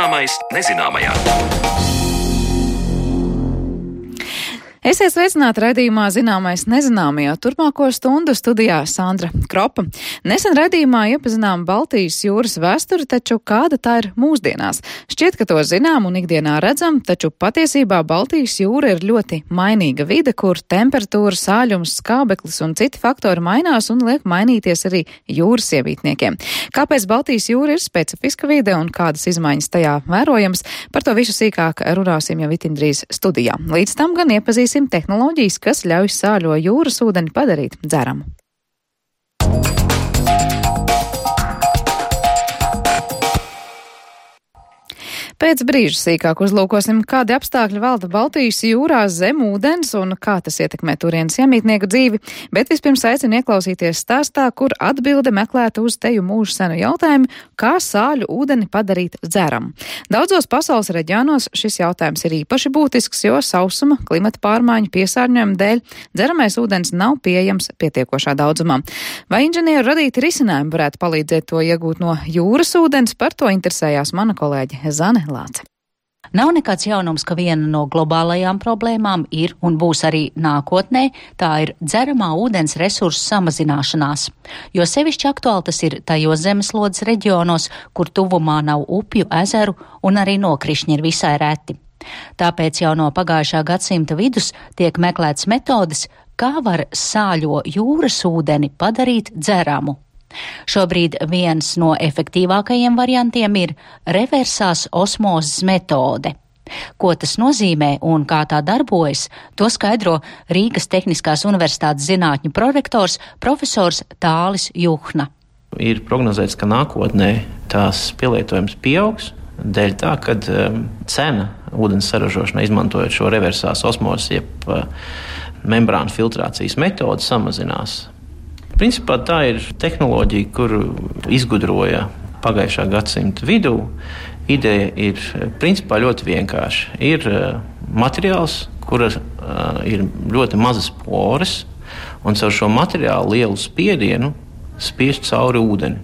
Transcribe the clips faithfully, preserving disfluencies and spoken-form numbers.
Zināmais nezināmajā. Esiet sveicināti raidījumā Zināmais nezināmajā. Turpmāko stundu studijā Sandra Kropa. Nesen raidījumā iepazinām Baltijas jūras vēsturi, taču kāda tā ir mūsdienās? Šķiet, ka to zinām un ikdienā redzam, taču patiesībā Baltijas jūra ir ļoti mainīga vide, kur temperatūra, sāļums, skābeklis un citi faktori mainās un liek mainīties arī jūras ievītniekiem. Kāpēc Baltijas jūra ir specifiska vide un kādas izmaiņas tajā vērojams? Par to visu sīkāk runāsim jau itin drīz studijā. Līdz tam gan iepazīsim tehnoloģijas, kas ļauj sāļo jūras ūdeni padarīt dzeramu. Pēc brīža sīkāk uzlūkosim, kādi apstākļi valda Baltijas jūrā zem ūdens un kā tas ietekmē turienes iemītnieku dzīvi, bet vispirms aicinu ieklausīties stāstā, kur atbilde meklēta uz teju mūžu senu jautājumu, kā sāļu ūdeni padarīt dzeramu. Daudzos pasaules reģionos šis jautājums ir īpaši būtisks, jo sausuma, klimata pārmaiņu, piesārņojuma dēļ dzeramais ūdens nav pieejams pietiekošā daudzumā. Vai inženieru radīti risinājumi varētu palīdzēt to iegūt no jūras ūdens? Par to interesējās mana kolēģe Zane Lāce. Nav nekāds jaunums, ka viena no globālajām problēmām ir un būs arī nākotnē, tā ir dzeramā ūdens resursu samazināšanās. Jo sevišķi aktuāli tas ir tajos zemeslodes reģionos, kur tuvumā nav upju, ezeru un arī nokrišņi ir visai reti. Tāpēc jau no pagājušā gadsimta vidus tiek meklēts metodes, kā var sāļo jūras ūdeni padarīt dzeramu. Šobrīd viens no efektīvākajiem variantiem ir reversās osmozes metode. Ko tas nozīmē un kā tā darbojas, to skaidro Rīgas Tehniskās universitātes zinātņu prorektors profesors Tālis Juhna. Ir prognozēts, ka nākotnē tās pielietojums pieaugs, dēļ tā, kad um, cena ūdens saražošanai izmantojot šo reversās osmozes, jeb uh, membrānu filtrācijas metodi samazinās. Principā tā ir tehnoloģija, kuru izgudroja pagājušā gadsimta vidū. Ideja ir principā ļoti vienkārša. Ir materiāls, kura ir ļoti mazas poras, un caur šo materiālu lielu spiedienu spiež cauri ūdeni.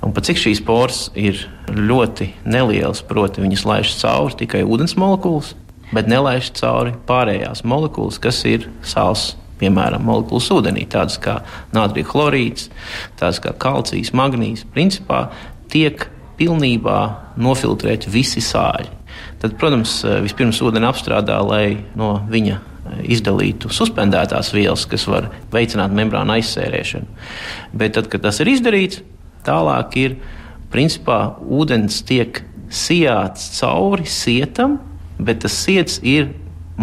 Un pat cik šīs poras ir ļoti nelielas, proti viņas laiž cauri tikai ūdens molekulas, bet nelaiž cauri pārējās molekulas, kas ir sāls. Piemēram, molekulas ūdenī, tādas kā natrija chlorīds, tādas kā kalcijs, magnīzs, principā tiek pilnībā nofiltrēti visi sāļi. Tad, protams, vispirms ūdeni apstrādā, lai no viņa izdalītu suspendētās vielas, kas var veicināt membrānu aizsērēšanu. Bet tad, kad tas ir izdarīts, tālāk ir, principā, ūdens tiek sijāts cauri sietam, bet tas siets ir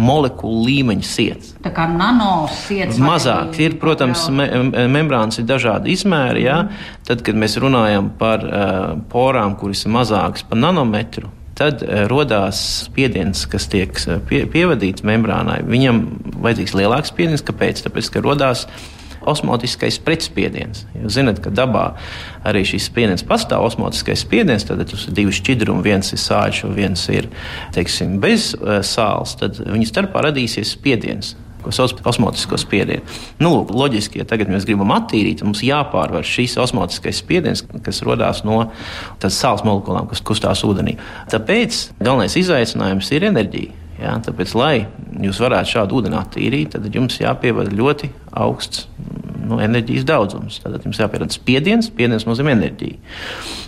molekulu līmeņa siets. Tā kā nanosiets. Mazāk ir, protams, me, membrānas ir dažādi izmēri, jā. Tad, kad mēs runājam par uh, porām, kuras ir mazākas par nanometru, tad uh, rodās spiediens, kas tiek pie, pievadīts membrānai. Viņam vajadzīgs lielāks spiediens, kāpēc? Tāpēc, ka rodās osmotiskais pretspiediens. Jūs zināt, ka dabā arī šis spiediens pastāv, osmotiskais spiediens, tad tas ir divi šķidrumi, viens ir sāļš un viens ir, teiksim, bez uh, sāls, tad viņu starpā radīsies spiediens, ko sauc par osmotisko spiedienu. Nu, lūk, loģiski, ja tagad mēs gribam attīrīt, mums jāpārvar šīs osmotiskais spiediens, kas rodās no tās sāls molekulām, kas kustās ūdenī. Tāpēc galvenais izaicinājums ir enerģija. Jā, tāpēc, lai jūs varētu šādu ūdeni attīrīt, tad jums jāpievada ļoti augsts nu, enerģijas daudzums. Tad jums jāpierada spiediens, spiediens nozīmē enerģiju.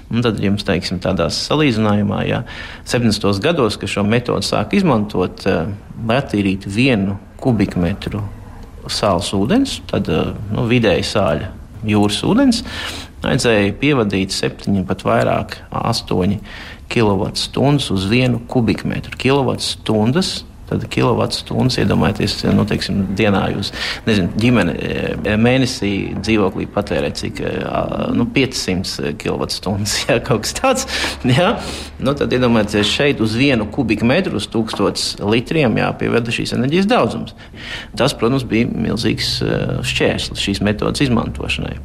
Un tad jums, teiksim, tādās salīdzinājumā, jā, septiņdesmitos gados, ka šo metodu sāk izmantot, lai attīrītu vienu kubikmetru sāls ūdens, tad nu, vidēji sāļa jūras ūdens, vajadzēja pievadīt septiņi, pat vairāk, astoņi kilovatstundas uz vienu kubikmetru. Kilovatstundas, tad kilovatstundas, iedomājieties, nu, teiksim, dienā jūs, nezinu, ģimene mēnesī dzīvoklī patērē cik, nu, piecsimt kilovatstundas, jā, kaut kas tāds, jā. Nu, tad iedomājieties, šeit uz vienu kubikmetru, uz tūkstots litriem jāpievada šīs enerģijas daudzums. Tas, protams, bija milzīgs šķērslis šīs metodas izmantošanai.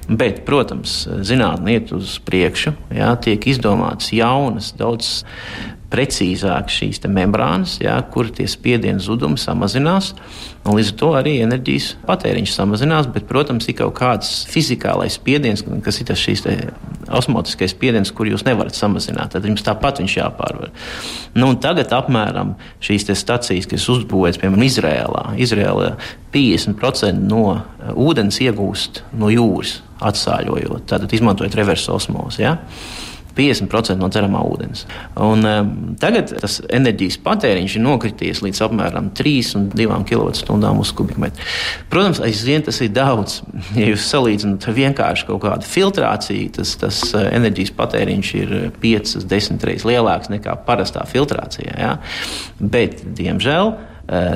Bet, protams, zinātne iet uz priekšu, jā, tiek izdomātas jaunas, daudz precīzāk šīs te membrānas, jā, kur tie spiedienu zudumi samazinās, un līdz ar to arī enerģijas patēriņš samazinās, bet, protams, ir kaut kāds fizikālais spiediens, kas ir tas šīs te osmotiskais spiediens, kur jūs nevarat samazināt, tad jums tāpat viņš jāpārvar. Nu, un tagad apmēram šīs te stacijas, kas uzbūvēts, piemēram, Izrēlā, Izrēlā piecdesmit procenti no ūdens iegūst no jūras, atsāļojot, tātad izmantojot reversu osmozi, jā. piecdesmit procenti no dzeramā ūdens. Un um, tagad tas enerģijas patēriņš ir nokrities līdz apmēram trīs un divām kilovatstundām uz kubikmetru. Protams, aizvien tas ir daudz. Ja jūs salīdzināt vienkārši kaut kādu filtrāciju, tas, tas enerģijas patēriņš ir piecas, desmit reizes lielāks nekā parastā filtrācijā. Ja? Bet, diemžēl,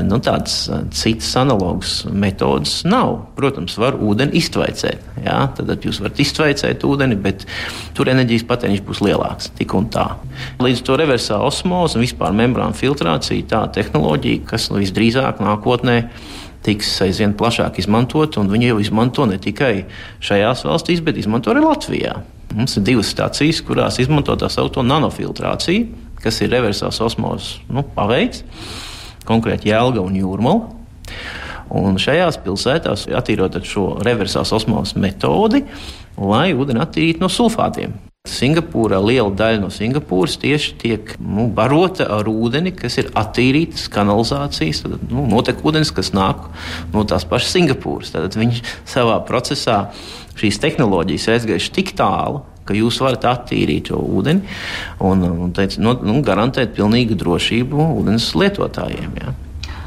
nu, tādas citas analogas metodas nav. Protams, var ūdeni iztvaicēt. Jā? Tad jūs varat iztvaicēt ūdeni, bet tur enerģijas patēriņš būs lielāks, tik un tā. Līdz to reversā osmoze un vispār membrāna filtrācija tā tehnoloģija, kas nu, visdrīzāk nākotnē tiks aizvien plašāk izmantot, un viņi jau izmanto ne tikai šajās valstīs, bet izmanto arī Latvijā. Mums ir divas stacijas, kurās izmanto tā saucamo nanofiltrāciju, kas ir reversās osmozes nu, paveids. Konkrēti Jelgava un Jūrmala. Un šajās pilsētās attīrot šo reversās osmozes metodi, lai ūdeni attīrītu no sulfātiem. Singapūrā liela daļa no Singapūras tieši tiek nu, barota ar ūdeni, kas ir attīrītas kanalizācijas, tad, nu, notek ūdens, kas nāk no tās pašas Singapūras. Tad viņš savā procesā šīs tehnoloģijas aizgājuši tik tālu, ka jūs varat attīrīt šo ūdeni un, un teic, nu, nu, garantēt pilnīgu drošību ūdens lietotājiem. Jā.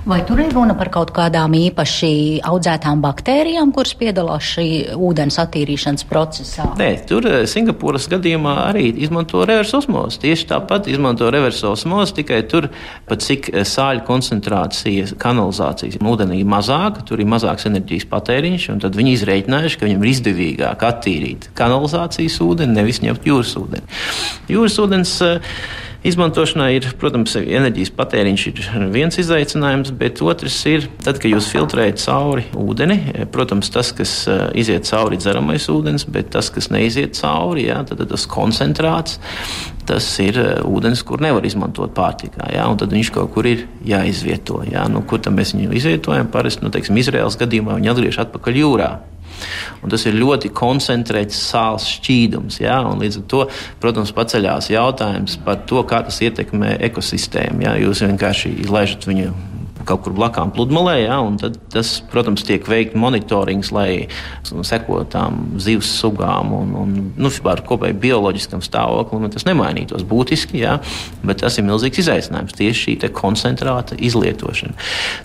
Vai tur ir runa par kaut kādām īpaši audzētām baktērijām, kuras piedalās šī ūdens attīrīšanas procesā? Nē, tur Singapūras gadījumā arī izmanto reversu osmozi. Tieši tāpat izmanto reversu osmozi, tikai tur pat cik sāļu koncentrācijas kanalizācijas ūdenī ir mazāka, tur ir mazāks enerģijas patēriņš, un tad viņi izrēķinājuši, ka viņam ir izdevīgāk attīrīt kanalizācijas ūdeni, nevis ņemt jūras ūdeni. Jūras ūdens izmantošanā ir, protams, enerģijas patēriņš ir viens izaicinājums, bet otrs ir, tad, kad jūs filtrējat cauri ūdeni, protams, tas, kas iziet cauri dzeramais ūdens, bet tas, kas neiziet cauri, jā, tad tas koncentrāts, tas ir ūdens, kur nevar izmantot pārtikā, jā, un tad viņš kaut kur ir jāizvieto, jā, nu, kur tam mēs viņu izvietojam, parasti, nu, teiksim, Izraēlas gadījumā viņi atgriež atpakaļ jūrā. Un tas ir ļoti koncentrēts sāls šķīdums. Ja? Un līdz ar to, protams, paceļās jautājums par to, kā tas ietekmē ekosistēmu. Ja? Jūs vienkārši izlaižat viņu kaut kur blakām pludmalē, ja? Un tad tas, protams, tiek veikt monitorings, lai sekot tām zivs sugām un, un nu, par kopēju bioloģiskam stāvoklim, un tas nemainītos būtiski, ja? Bet tas ir milzīgs izaicinājums, tieši šī te koncentrāta izlietošana.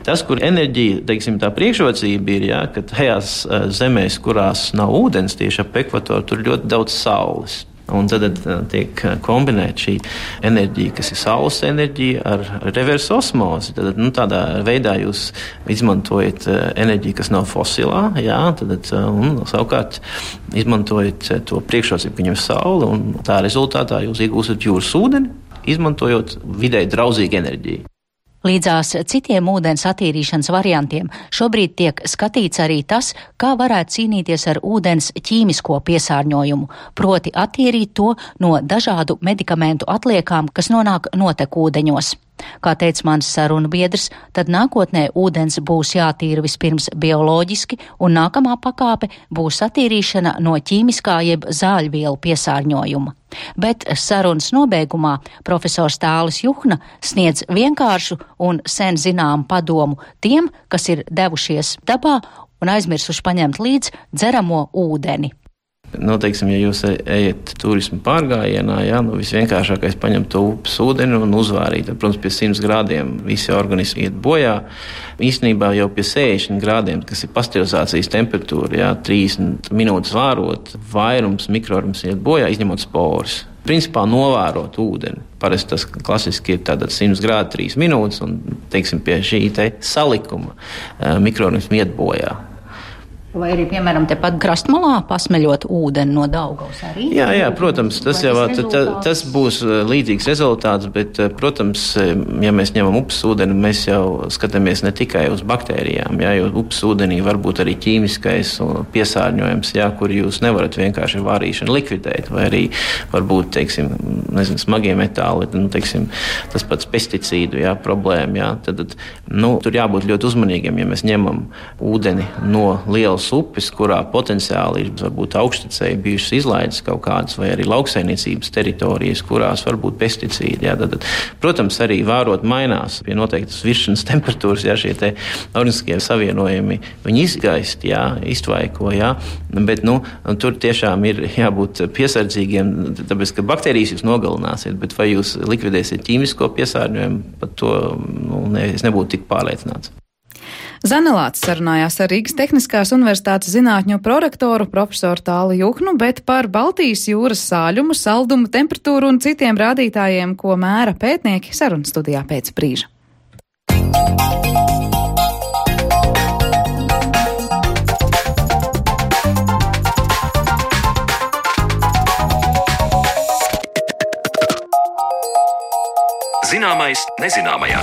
Tas, kur enerģija, teiksim, tā priekšrocība ir, ja? Ka tajās zemēs, kurās nav ūdens tieši ap ekvatoru, tur ļoti daudz saules. Un tad tiek kombinēta šī enerģija, kas ir saules enerģija, ar reversu osmozi. Tad, nu, tādā veidā jūs izmantojat enerģiju, kas nav fosilā, jā, tad, un savukārt izmantojat to priekšrocību, ka viņam ir saule, un tā rezultātā jūs iegūstat jūras ūdeni, izmantojot vidēji draudzīgu enerģiju. Līdzās citiem ūdens attīrīšanas variantiem šobrīd tiek skatīts arī tas, kā varētu cīnīties ar ūdens ķīmisko piesārņojumu, proti attīrīt to no dažādu medikamentu atliekām, kas nonāk notekūdeņos. Kā teica mans sarunbiedrs, tad nākotnē ūdens būs jātīra vispirms bioloģiski, un nākamā pakāpe būs attīrīšana no ķīmiskā jeb zāļvielu piesārņojuma. Bet sarunas nobeigumā profesors Tālis Juhna sniedz vienkāršu un sen zināmu padomu tiem, kas ir devušies dabā un aizmirsuši paņemt līdz dzeramo ūdeni. Nu, teiksim, ja jūs ejat turismu pārgājienā, jā, nu, visvienkāršākais paņemt to upes ūdeni un uzvārīt. Protams, pie simts grādiem visi organismi iet bojā. Īstenībā jau pie sešdesmit grādiem, kas ir pasteurizācijas temperatūra, jā, trīsdesmit minūtes vārot, vairums mikroorganismu iet bojā, izņemot sporus. Principā novērot ūdeni. Parasti tas klasiski ir tātad simts grādi, trīs minūtes, un, teiksim, pie šī te salikuma mikroorganismi iet bojā. Vai arī, piemēram, tepat krastmalā pasmeļot ūdeni no Daugavas arī? Jā, jā, protams, tas jau tā, tas būs līdzīgs rezultāts, bet, protams, ja mēs ņemam upes ūdeni, mēs jau skatāmies ne tikai uz baktērijām, jā, jo upes ūdenī var būt arī ķīmiskais piesārņojums, jā, kur jūs nevarat vienkārši ar vārīšanu likvidēt, vai arī varbūt, teiksim, nezinu, smagie metāli, nu, teiksim, tas pats pesticīdu, jā, problēma, jā, tad, nu, tur jābūt ļoti uzmanīgiem, ja mēs ņemam ūdeni no lielas upes, kurā potenciāli ir varbūt augštecēji bijušas izlaides kaut kādas, vai arī lauksaimniecības teritorijas, kurās var būt pesticīdi. Jā, tad, protams, arī vērot mainās pie noteiktas virsmas temperatūras, jā, šie te organiskie savienojumi, viņi izgaist, jā, iztvaiko, jā, bet, nu, tur tiešām ir jābūt piesardzīgiem, tāpēc, ka baktērijas jūs nogalināsiet, bet vai jūs likvidēsiet ķīmisko piesārņojumu, par to, nu, ne, es nebūtu tik pārliecināts. Zanelāts sarunājās ar Rīgas Tehniskās universitātes zinātņu prorektoru profesoru Tāli Juhnu, bet par Baltijas jūras sāļumu, saldumu, temperatūru un citiem rādītājiem, ko mēra pētnieki, sarunas studijā pēc brīža. Zināmais nezināmajā.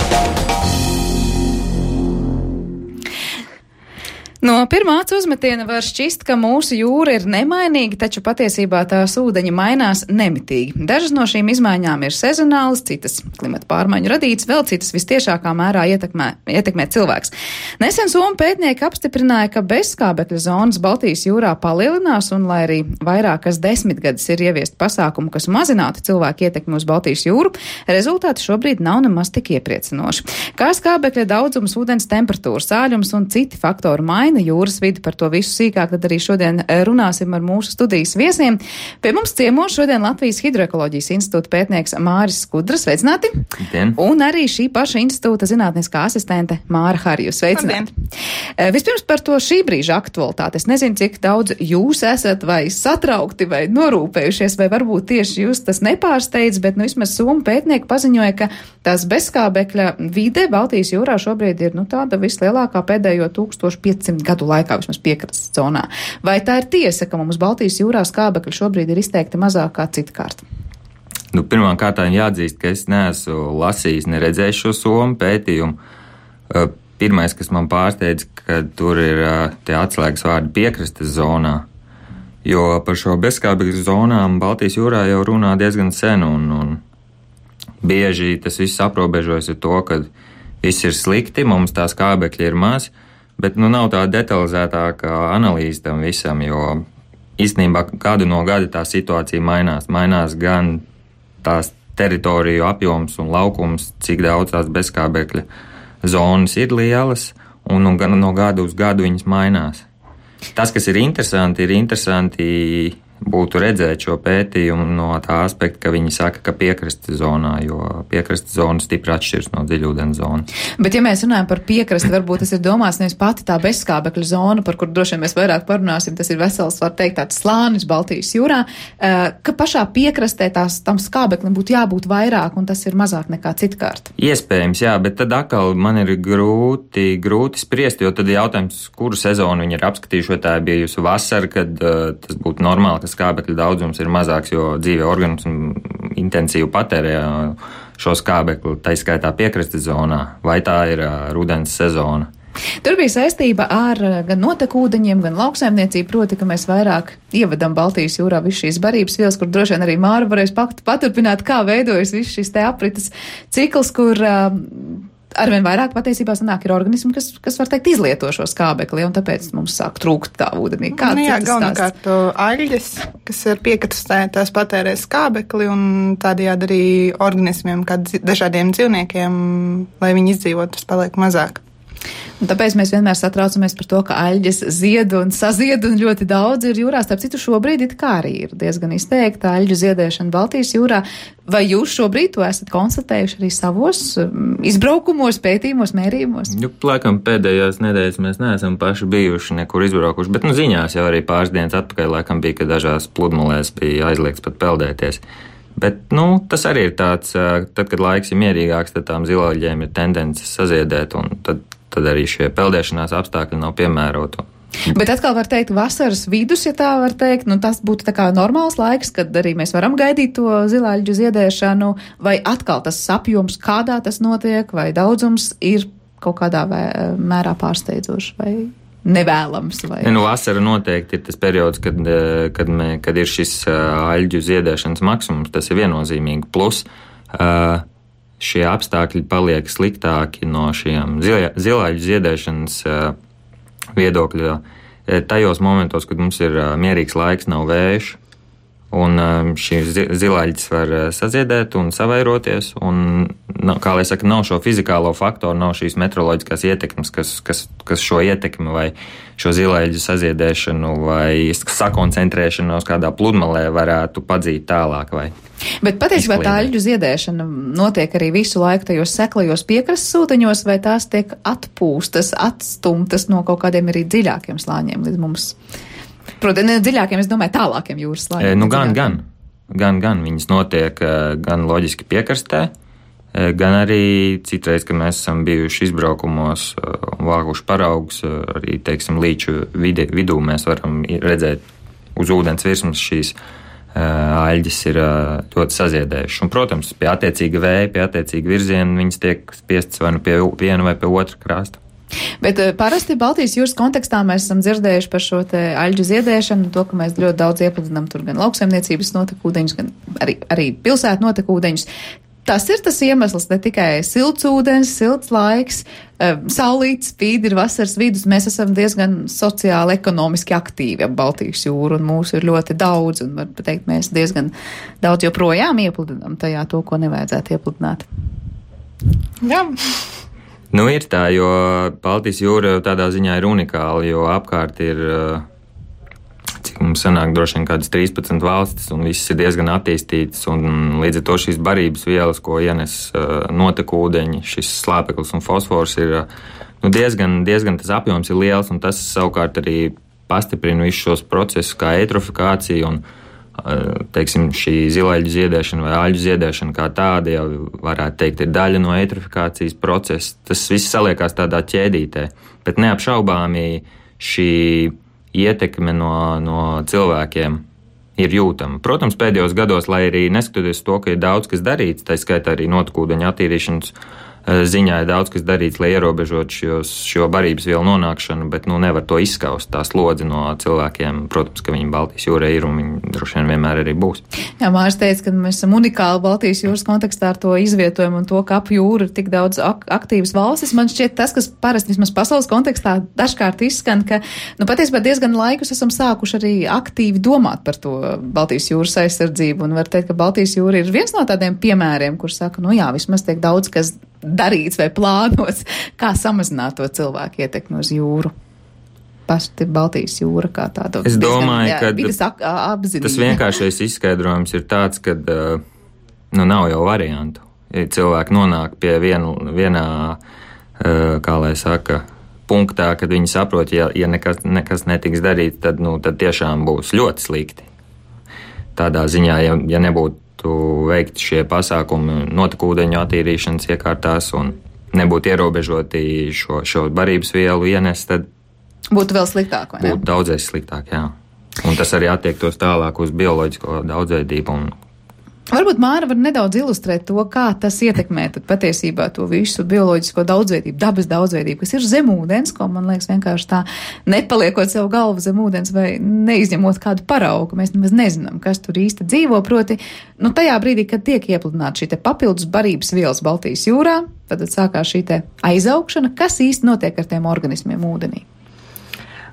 No pirmā acu uzmetiena var šķist, ka mūsu jūra ir nemainīga, taču patiesībā tās ūdeņi mainās nemitīgi. Dažas no šīm izmaiņām ir sezonālas, citas klimata pārmaiņu radītas, vēl citas vistiešākā mērā ietekmē, ietekmē cilvēks. Nesen Somu pētnieki apstiprināja, ka bezskābekļa zonas Baltijas jūrā palielinās, un lai arī vairākas desmitgades ir ieviest pasākumu, kas mazinātu cilvēku ietekmi uz Baltijas jūru, rezultāti šobrīd nav nemaz tik iepriecinoši. Kā skābekļa daudzums, ūdens temperatūra, sāļums un citi faktori maina jūras vidi, par to visu sīkāk, tad arī šodien runāsim ar mūsu studijas viesiem. Pie mums ciemos šodien Latvijas Hidroekoloģijas institūta pētnieks Māris Skudra, sveicināti. Dien. Un arī šī paša institūta zinātniskā asistente Māra Harjus, sveicināti. Dien. Vispirms par to šī brīža aktualitāti. Es nezinu, cik daudz jūs esat vai satraukti vai norūpējušies, vai varbūt tieši jūs tas nepārsteidz, bet nu vismaz Somu pētnieki paziņoja, ka tās bezskābekļa vide Baltijas jūrā šobrīd ir nu tāda vislielākā pēdējo tūkstoš piecsimt gadu laikā, vismaz piekrastes zonā. Vai tā ir tiesa, ka mums Baltijas jūrā skābekļi šobrīd ir izteikti mazāk kā citkārt? Nu, pirmām kārtām jāatzīst, ka es neesmu lasījis, ne redzējis šo Somu pētījumu. Pirmais, kas man pārsteidz, ka tur ir tie atslēgas vārdi piekrastes zonā, jo par šo bezskābekļu zonām Baltijas jūrā jau runā diezgan sen, un, un bieži tas viss aprobežojas ar to, ka viss ir slikti, mums tā skābekļi ir maz, bet nu nav tā detalizētāka analīze tam visam, jo īstenībā gadu no gada tā situācija mainās. Mainās gan tās teritoriju apjoms un laukums, cik daudz tās bezskābekļa zonas ir lielas, un, un gan no gada uz gadu viņas mainās. Tas, kas ir interesanti, ir interesanti būtu redzēt šo pētījumu no tā aspekta, ka viņi saka, ka piekrastes zonā, jo piekrastes zona stipri atšķiras no dziļūdens zonas. Bet, ja mēs runājam par piekrasti, varbūt tas ir domāts nevis pati tā bezskābekļa zona, par kur droši vien mēs vairāk parunāsim, tas ir vesels, var teikt, tāds slānis Baltijas jūrā, ka pašā piekrastē tās tam skābeklim būtu jābūt vairāk, un tas ir mazāk nekā citkārt. Iespējams, jā, bet tad atkal man ir grūti, grūti spriest, jo tad jautājums, kuru sezonu viņi ir apskatījuši, vai tā ir bijusi vasara, kad uh, tas būtu normāli, ka skābekļa daudzums ir mazāks, jo dzīvie organismi intensīvi patērē šo skābekli, tā izskaitā piekrastes zonā, vai tā ir uh, rudens sezona. Tur bija saistība ar gan notekūdeņiem, gan lauksaimniecību, proti, ka mēs vairāk ievedam Baltijas jūrā visu šīs barības vielas, kur droši vien arī Māra varēs paturpināt, kā veidojas viss šis te aprites cikls, kur uh, arvien vairāk patiesībā sanāk ir organismi, kas, kas var teikt izlieto šo skābekli, un tāpēc mums sāk trūkt tā ūdenī. Kāds nu, jā, ir tas galvenokārt aļģes, kas ir piekrastē, tās patērē skābekli, un tādējādi arī organismiem, kā dažādiem dzīvniekiem, lai viņi izdzīvot, tas paliek mazāk. Un tāpēc mēs vienmēr satraucamies par to, ka aļģes zied un sazied un ļoti daudz ir jūrā. Starp citu, šobrīd it kā arī ir diezgan izteikta aļģu ziedēšana Baltijas jūrā. Vai jūs šobrīd to esat konstatējuši arī savos izbraukumos, pētījumos, mērījumos? Nu, laikam pēdējās nedēļas mēs neesam paši bijuši nekur izbraukuši, bet nu ziņās jau arī pāris dienas atpakaļ laikam bija, ka dažās pludmalēs bija aizliegts pat peldēties. Bet, nu, tas arī ir tāds, tad, kad laiks ir mierīgāks, tad tām zilaļģēm ir tendences saziedēt, un tad tad arī šie peldēšanās apstākļi nav piemēroti. Bet atkal var teikt, vasaras vidus, ja tā var teikt, nu tas būtu tā kā normāls laiks, kad arī mēs varam gaidīt to zilāļģu ziedēšanu, vai atkal tas apjoms, kādā tas notiek, vai daudzums ir kaut kādā mērā pārsteidzoši, vai nevēlams. Vai... Nu, vasara noteikti ir tas periods, kad, kad, mē, kad ir šis aļģu ziedēšanas maksimums, tas ir viennozīmīgi. Plus šie apstākļi paliek sliktāki no šiem zilāļģu ziedēšanas viedokļa tajos momentos, kad mums ir mierīgs laiks, nav vējš, un šīs zilāļģis var saziedēt un savairoties, un, kā lai saka, nav šo fizikālo faktoru, nav šīs meteoroloģiskās ietekmes, kas, kas, kas šo ietekmi vai šo zilāļģu saziedēšanu vai sakoncentrēšanos kādā pludmalē varētu padzīt tālāk. Vai Bet patiesībā tā aļģu ziedēšana notiek arī visu laiku tajos seklajos piekrastes ūdeņos, vai tās tiek atpūstas, atstumtas no kaut kādiem arī dziļākiem slāņiem līdz mums? Protams, ne dziļākiem, es domāju, tālākiem jūras slāņiem. E, nu, gan, gan, gan, gan. Viņas notiek gan loģiski piekrastē, gan arī citreiz, kad mēs esam bijuši izbraukumos un vākuši paraugus, arī, teiksim, līču vidi, vidū mēs varam redzēt uz ūdens virsmas šīs aļģis ir ļoti saziedējuši. Un, protams, pie attiecīga vēja, pie attiecīga virziena viņas tiek spiestas vai nu pie viena vai pie otra krasta. Bet parasti Baltijas jūras kontekstā mēs esam dzirdējuši par šo te aļģu ziedēšanu, to, ka mēs ļoti daudz iepludinām tur gan lauksaimniecības notekūdeņus, gan arī, arī pilsētu notekūdeņus. Tas ir tas iemesls, ne tikai silts ūdens, silts laiks, saulīt spīd, ir vasaras vidus, mēs esam diezgan sociāli, ekonomiski aktīvi ap Baltijas jūru, un mūsu ir ļoti daudz, un var pateikt, mēs diezgan daudz joprojām iepludinām tajā to, ko nevajadzētu iepludināt. Jā. Nu, ir tā, jo Baltijas jūra tādā ziņā ir unikāla, jo apkārt ir, cik mums sanāk, droši vien kādas trīspadsmit valstis, un visas ir diezgan attīstītas, un līdz ar to šīs barības vielas, ko ienes notekūdeņi, šis slāpeklis un fosfors ir nu, diezgan, diezgan tas apjoms ir liels, un tas savukārt arī pastiprina visus šos procesus kā eitrofikācija un, teiksim, šī zilāļģu ziedēšana vai aļģu ziedēšana kā tāda jau varētu teikt ir daļa no eitrofikācijas procesa. Tas viss saliekās tādā ķēdītē, bet neapšaubāmi šī ietekme no, no cilvēkiem ir jūtama. Protams, pēdējos gados, lai arī neskatoties to, ka ir daudz kas darīts, tā skaitā arī notekūdeņu attīrīšanas ziņā ir daudz kas darīts, lai ierobežot šos, šo barības vielu nonākšanu, bet nu, nevar to izskaust tā slodzi no cilvēkiem. Protams, ka viņi Baltijas jūrā ir un viņi droši vien vienmēr arī būs. Jā, Māris teica, ka mēs esam unikāli Baltijas jūras kontekstā ar to izvietojumu un to, ka ap jūru ir tik daudz ak aktīvas valstis. Man šķiet tas, kas parasti vismaz pasaules kontekstā dažkārt izskan, ka nu, patiesībā diezgan laikus esam sākuši arī aktīvi domāt par to Baltijas jūras aizsardzību. Un var teikt, ka Baltijas jūra ir viens no tādiem piemēriem, kur saka, nu jā, vismaz tiek daudz, kas darīts vai plānots, kā samazināt to cilvēku ietekmi uz jūru. Pati Baltijas jūra kā tāda. Es domāju, diezgan, jā, ka tas vienkāršais izskaidrojums ir tāds, ka nu, nav jau variantu. Ja cilvēki nonāk pie vienu, vienā, kā lai saka, punktā, kad viņi saprot, ja, ja nekas, nekas netiks darīts, tad, nu, tad tiešām būs ļoti slikti. Tādā ziņā, ja, ja nebūtu veikt šie pasākumi notekūdeņu attīrīšanas iekārtās un nebūtu ierobežoti šo, šo barības vielu ienest, tad būtu vēl sliktāk, vai ne? Būtu daudzreiz sliktāk, jā. Un tas arī attiektos tālāk uz bioloģisko daudzveidību un varbūt Māra var nedaudz ilustrēt to, kā tas ietekmē tad patiesībā to visu bioloģisko daudzveidību, dabas daudzveidību, kas ir zem ūdens, ko man liekas vienkārši tā nepaliekot sev galvu zem ūdens vai neizņemot kādu paraugu. Mēs nemaz nezinām, kas tur īsti dzīvo, proti, nu tajā brīdī, kad tiek iepludināta šī te papildus barības vielas Baltijas jūrā, tad sākās šī te aizaugšana, kas īsti notiek ar tiem organismiem ūdenī.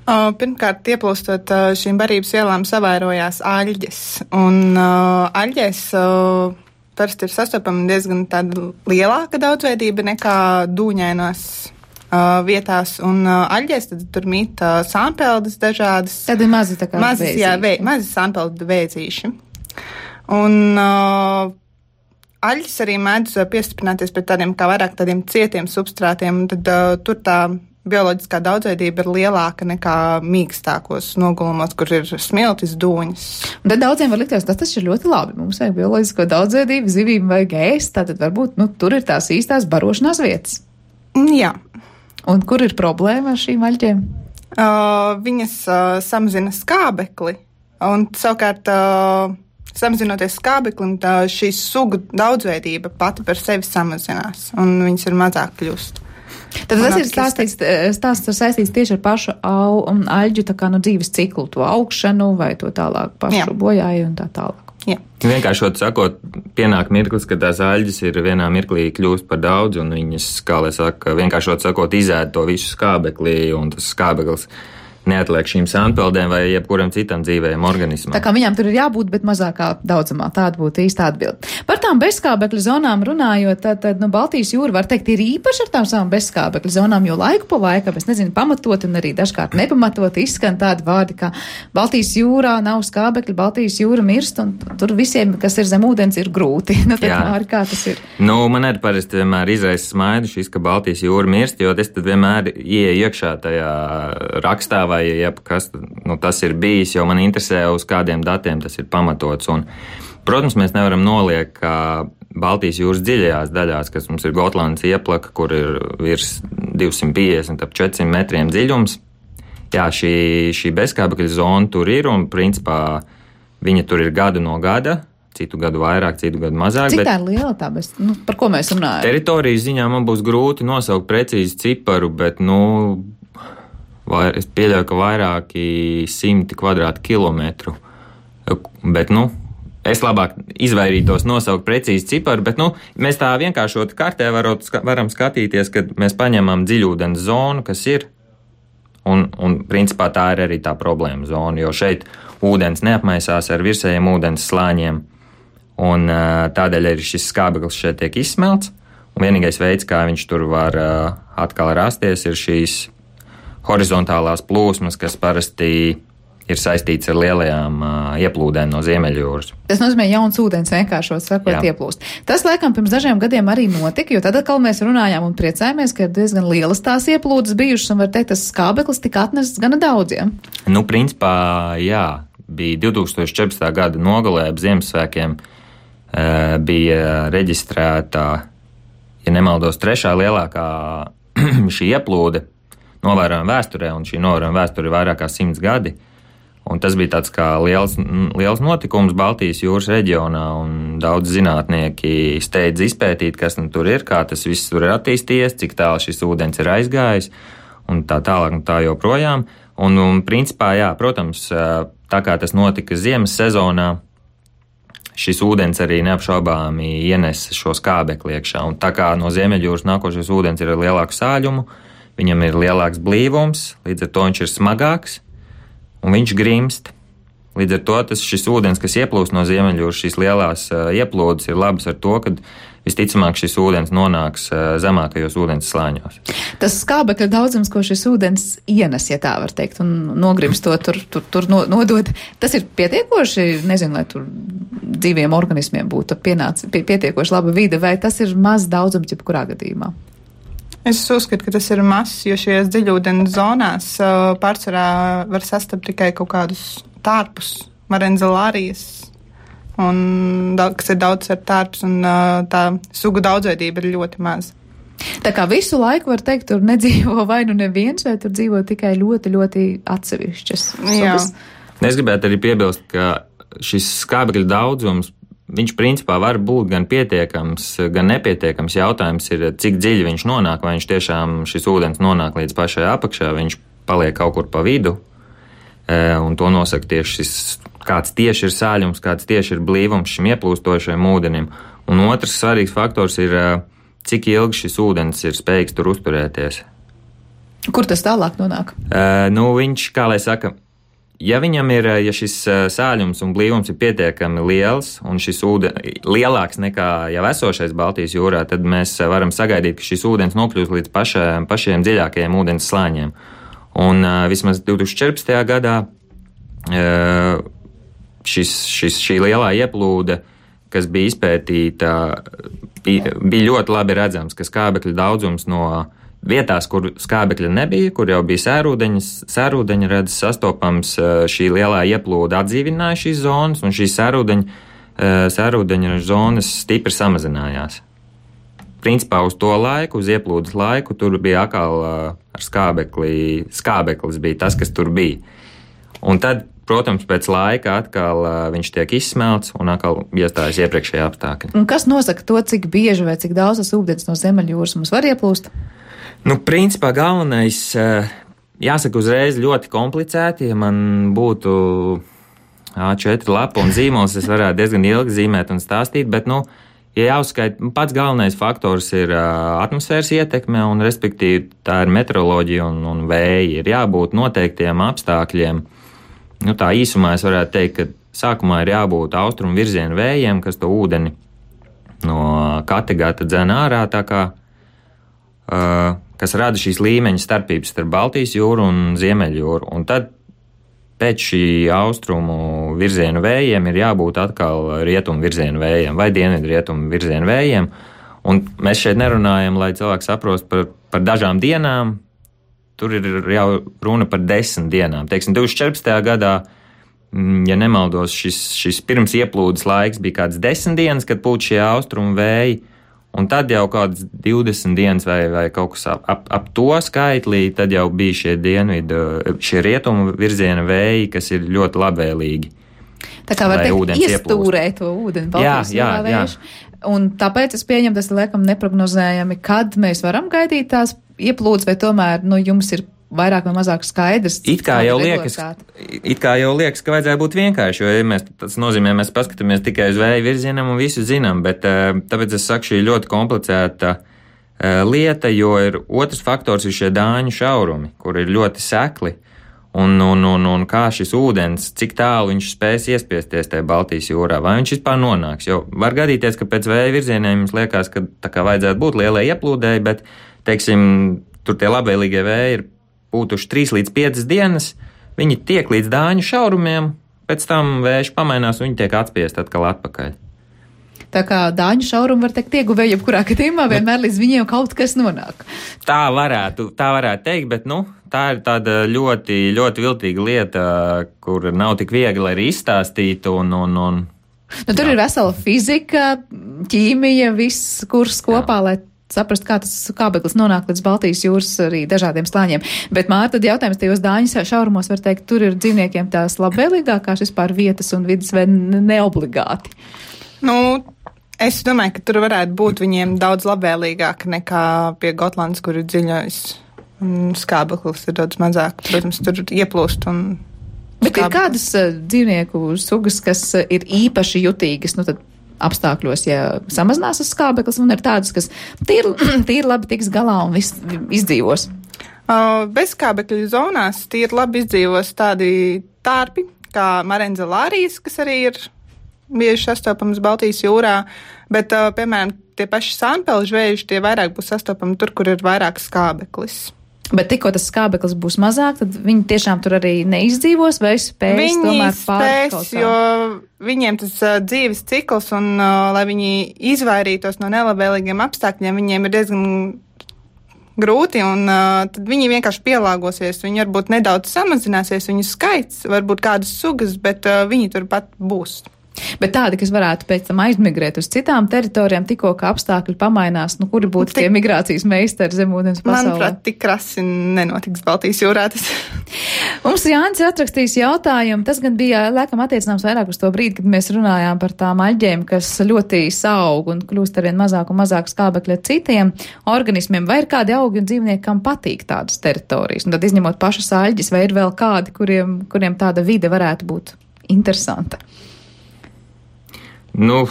Pirmkārt, ieplūstot šīm barības vielām savairojās aļģes, un uh, aļģēs uh, parasti ir sastopama diezgan tāda lielāka daudzveidība nekā dūņainos uh, vietās, un uh, aļģēs tad tur mīt uh, sāmpeldes dažādas. Tad ir mazi tā kā mazas, vēzīši. Jā, vē, mazi sāmpeldu vēzīši. Un uh, aļģes arī mēdz piestiprināties pret tādiem kā vairāk tādiem cietiem substrātiem, un tad uh, tur tā bioloģiskā daudzveidība ir lielāka nekā mīkstākos nogulumos, kur ir smiltis, dūņas. Un tad daudziem var likties, tas taču ir ļoti labi. Mums vajag bioloģisko daudzveidību, zivīm vajag ēst, tātad varbūt, nu, tur ir tās īstās barošanās vietas. Jā. Un kur ir problēma ar šīm aļģēm? Uh, viņas uh, samazina skābekli, un savukārt uh, samazinoties skābeklim, tā šī sugu daudzveidība pati par sevi samazinās, un viņas ir mazāk kļūst. Tad tas ir stāstīts, stāsts ir saistīts tieši ar pašu au un aļģu tā kā nu dzīves ciklu, to augšanu vai to tālāk pašu Jā. bojāju un tā tālāk. Jā. Vienkāršot sakot, pienāk mirklis, ka tās aļģes ir vienā mirklī kļūst par daudz un viņas, kā lai saka, vienkāršot sakot, izēd to visu skābeklī un tas skābeklis neatliek šīm sānpeldēm vai jebkuram citam dzīvējam organismam. Tā kā viņām tur ir jābūt, bet mazākā daudzumā. Tāda būtu īsta atbilde. Par tām bezskābekļa zonām runājot, tad, tad nu, Baltijas jūra, var teikt, ir īpaši ar tām savām bezskābekļa zonām, jo laiku pa laikam, es nezinu, pamatot un arī dažkārt nepamatot izskan tādi vārdi, kā Baltijas jūrā nav skābekļa, Baltijas jūra mirst, un tur visiem, kas ir zem ūdens, ir grūti. Nu, tad, Māri, kā tas ir? Nu, man arī parasti vienmēr izraisa smaidu šis, ka Baltijas jūra mirst, jo es tad vienmēr ieeju iekšā tajā rakstā, vai jeb kas nu, tas ir bijis, jo man interesē, uz kādiem datiem tas ir pamatots. Un, protams, mēs nevaram noliekt, ka Baltijas jūras dziļajās daļās, kas mums ir Gotlandes ieplaka, kur ir virs divsimt piecdesmit ap četrsimt metriem dziļums, jā, šī, šī bezskābekļa zona tur ir, un principā viņa tur ir gadu no gada, citu gadu vairāk, citu gadu mazāk. Cik bet tā ir liela tā, bez, nu, par ko mēs runājam? Teritorijas ziņā man būs grūti nosaukt precīzi ciparu, bet, nu, Vai, es pieļauju, ka vairāki simti kvadrātkilometru, bet, nu, es labāk izvairītos nosaukt precīzi ciparu, bet, nu, mēs tā vienkāršot kartē varot, varam skatīties, kad mēs paņemam dziļūdens zonu, kas ir, un, un, principā, tā ir arī tā problēma zona, jo šeit ūdens neapmaisās ar virsējiem ūdens slāņiem, un tādēļ arī šis skābeklis šeit tiek izsmelts, un vienīgais veids, kā viņš tur var atkal rasties, ir šīs horizontālās plūsmas, kas parasti ir saistīts ar lielajām uh, ieplūdēm no Ziemeļjūras. Tas nozīmē, jauns ūdens vienkāršot sakot ieplūst. Tas, laikam, pirms dažiem gadiem arī notika, jo tad atkal mēs runājām un priecājāmies, ka ir diezgan lielas tās ieplūdes bijušas, un var teikt, tas skābeklis tika atnests gana daudziem. Nu, principā, jā, bija divtūkstoš četrpadsmitā gada nogalē ap Ziemassvētkiem uh, bija reģistrēta, ja nemaldos, trešā lielākā šī ieplūde novērojama vēsturē, un šī novērojama vēsture ir vairāk kā simts gadi. Un tas bija tāds kā liels, liels notikums Baltijas jūras reģionā, un daudz zinātnieki steidz izpētīt, kas nu tur ir, kā tas viss tur ir attīstījies, cik tālu šis ūdens ir aizgājis, un tā tālāk un tā joprojām. Un, un principā, jā, protams, tā kā tas notika ziemas sezonā, šis ūdens arī neapšaubāmi ienes šo skābekli iekšā, un tā kā no Ziemeļjūras nākošais ūdens ir ar lielāku sāļumu, viņam ir lielāks blīvums, līdz ar to viņš ir smagāks, un viņš grimst. Līdz ar to tas šis ūdens, kas ieplūst no Ziemeļjūras, šīs lielās uh, ieplūdes ir labas ar to, ka visticamāk šis ūdens nonāks uh, zemākajos ūdens slāņos. Tas skābekļa daudzums, ko šis ūdens ienes, ja tā var teikt, un nogrimstot tur, tur, tur nodod, tas ir pietiekoši, nezinu, lai tur dzīviem organismiem būtu pienāc, pie, pietiekoši laba vide, vai tas ir maz daudzums jebkurā gadījumā? Es uzskatu, ka tas ir mazs, jo šajās dziļūdens zonās uh, pārsvarā var sastapt tikai kaut kādus tārpus, marenzalārijas, un, kas ir daudz ar tārpus, un uh, tā sugu daudzveidība ir ļoti maza. Tā kā visu laiku var teikt, tur nedzīvo vai nu neviens, vai tur dzīvo tikai ļoti, ļoti atsevišķas sugas. Es gribētu arī piebilst, ka šis skābekļa daudzums, viņš principā var būt gan pietiekams, gan nepietiekams. Jautājums ir, cik dziļi viņš nonāk, vai viņš tiešām šis ūdens nonāk līdz pašai apakšā, viņš paliek kaut kur pa vidu, un to nosaka tieši šis, kāds tieši ir sāļums, kāds tieši ir blīvums šim ieplūstošajam ūdenim. Un otrs svarīgs faktors ir, cik ilgi šis ūdens ir spējīgs tur uzturēties. Kur tas tālāk nonāk? Uh, nu, viņš, kā lai saka, ja viņam ir, ja šis sāļums un blīvums ir pietiekami liels un šis ūdens lielāks nekā jau esošais Baltijas jūrā, tad mēs varam sagaidīt, ka šis ūdens nokļūs līdz pašiem, pašiem dziļākajiem ūdens slāņiem. Un uh, vismaz divtūkstoš četrpadsmitajā gadā uh, šis, šis, šī lielā ieplūde, kas bija izpētīta, bija, bija ļoti labi redzams, ka skābekļa daudzums no vietās, kur skābekļa nebija, kur jau bija sērūdeņas, sērūdeņa redzes sastopams, šī lielā ieplūde atdzīvināja šīs zonas, un šīs sērūdeņa, sērūdeņa zonas stipri samazinājās. principā uz to laiku, uz ieplūdes laiku, tur bija atkal uh, ar skābekli, skābeklis bija tas, kas tur bija. Un tad, protams, pēc laika atkal uh, viņš tiek izsmelts un atkal iestājas iepriekšējā apstākļi. Un kas nosaka to, cik bieži vai cik daudz tas ūdens no Ziemeļjūras mums var ieplūst? Nu, principā galvenais, uh, jāsaka uzreiz ļoti komplicēti, ja man būtu A četri lapa un zīmols, es varētu diezgan ilgi zīmēt un stāstīt, bet, nu, ja jāuzskaita, pats galvenais faktors ir uh, atmosfēras ietekme, un respektīvi tā ir meteoroloģija un, un vēji. Ir jābūt noteiktiem apstākļiem. Nu, tā īsumā es varētu teikt, ka sākumā ir jābūt austrumu virzienu vējiem, kas to ūdeni no Kattegata dzen ārā, tā kā, uh, kas rada šīs līmeņa starpības starp Baltijas jūru un Ziemeļjūru. Un tad pēc šī austrumu virzienu vējiem ir jābūt atkal rietumu virzienu vējiem vai dienvidu rietumu virzienu vējiem. Un mēs šeit nerunājam, lai cilvēks saprost par, par dažām dienām. Tur ir jau runa par desmit dienām. Teiksim, divtūkstoš četrpadsmitajā gadā, ja nemaldos, šis, šis pirms ieplūdes laiks bija kāds desmit dienas, kad pūt šie austrumu vēji. Un tad jau kādas divdesmit dienas vai, vai kaut kas ap, ap, ap to skaitlī, tad jau bija šie dienvidu, šie rietumu virziena vēji, kas ir ļoti labvēlīgi. Tā kā var teikt, iestūrē to ūdeni, Baltijas jūrā vējš. Un tāpēc es pieņemu, tas ir laikam neprognozējami, kad mēs varam gaidīt tās ieplūdes, vai tomēr, nu, jums ir vairāk vai mazāk skaidrs. It kā jau liekas, it kā jau liekas, ka vajadzēja būt vienkārši, jo ja mēs, tas nozīmē, mēs paskatāmies tikai uz vēju virzienam un visu zinām, bet tāpēc es saku, šī ļoti komplicēta lieta, jo ir otrs faktors ir šie dāņu šaurumi, kur ir ļoti sekli, un, un, un, un kā šis ūdens, cik tālu viņš spēs iespiesties tajā Baltijas jūrā, vai viņš vispār nonāks, jo var gadīties, ka pēc vēja virzieniem jums liekas, ka tā kā vajadzētu būt lielai ieplūdēji, bet, teiksim, tur tie labvēlīgie vēji ir būtuši trīs līdz piecas dienas, viņi tiek līdz dāņu šaurumiem, pēc tam vējš pamainās un viņi tiek atspiest atkal atpakaļ. Tā kā dāņu šaurumu var teikt ieguvēji, jebkurā gadījumā vienmēr līdz viņiem kaut kas nonāk. Tā varētu, tā varētu teikt, bet, nu, tā ir tāda ļoti, ļoti viltīga lieta, kur nav tik viegli arī izstāstīt un, un, un nu, tur jā. Ir vesela fizika, ķīmija, viss kurs kopā, jā. Lai saprast, kā tas skābeklis nonāk līdz Baltijas jūras arī dažādiem slāņiem. Bet, Māra, tad jautājums tajos dāņu šaurumos var teikt, tur ir dzīvniekiem tās labvēlīgākās vispār vietas un vidas vai neobligāti? Nu, es domāju, ka tur varētu būt viņiem daudz labvēlīgāk nekā pie Gotlandes, kur ir dziļais un skābeklis ir daudz mazāk. Protams, tur ieplūst un bet skābeklis. Ir kādas uh, dzīvnieku sugas, kas uh, ir īpaši jutīgas, nu tad apstākļos, ja samazinās uz skābeklis, un ir tādas, kas tīri, tīri labi tiks galā un viss izdzīvos. Uh, bez skābekļu zonās tīri labi izdzīvos tādi tārpi, kā marenzelārijas, kas arī ir bieži sastopams Baltijas jūrā, bet, uh, piemēram, tie paši sānpelžu vēži, tie vairāk būs sastopami tur, kur ir vairāk skābeklis. Bet tikko tas skābeklis būs mazāk, tad viņi tiešām tur arī neizdzīvos vai spēs viņi tomēr pārkaut kā? Jo viņiem tas uh, dzīves cikls un, uh, lai viņi izvairītos no nelabvēlīgiem apstākļiem, viņiem ir diezgan grūti un uh, tad viņi vienkārši pielāgosies. Viņi varbūt nedaudz samazināsies, viņu skaits, varbūt kādas sugas, bet uh, viņi turpat būs. Bet tādi, kas varētu pēc tam aizmigrēt uz citām teritorijām, tikko kā apstākļi pamainās, nu kuri būtu tie migrācijas meistari zemūdens pasaulē? Manuprāt, tik krasi nenotiks Baltijas jūrā. Tas. Mums Jānis atrakstījis jautājumu, tas gan bija laikam attiecināms vairāk uz to brīdi, kad mēs runājām par tām aļģēm, kas ļoti saug un kļūst arvien mazāk un mazāk skābekļa citiem organismiem. Vai ir kādi augi un dzīvnieki, kam patīk tādas teritorijas? Un tad izņemot pašas aļģes, vai ir vēl kādi, kuriem, kuriem tāda vide varētu būt interesanta? Nu,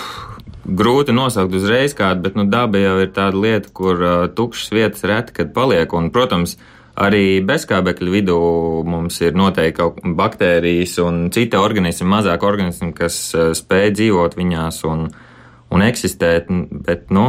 grūti nosaukt uzreiz kādu, bet nu, daba jau ir tāda lieta, kur uh, tukšas vietas reti, kad paliek. Un, protams, arī bezskābekļa vidū mums ir noteikti kaut baktērijas un citi organismi, mazāk organismi, kas uh, spēj dzīvot viņās un, un eksistēt. Bet, nu,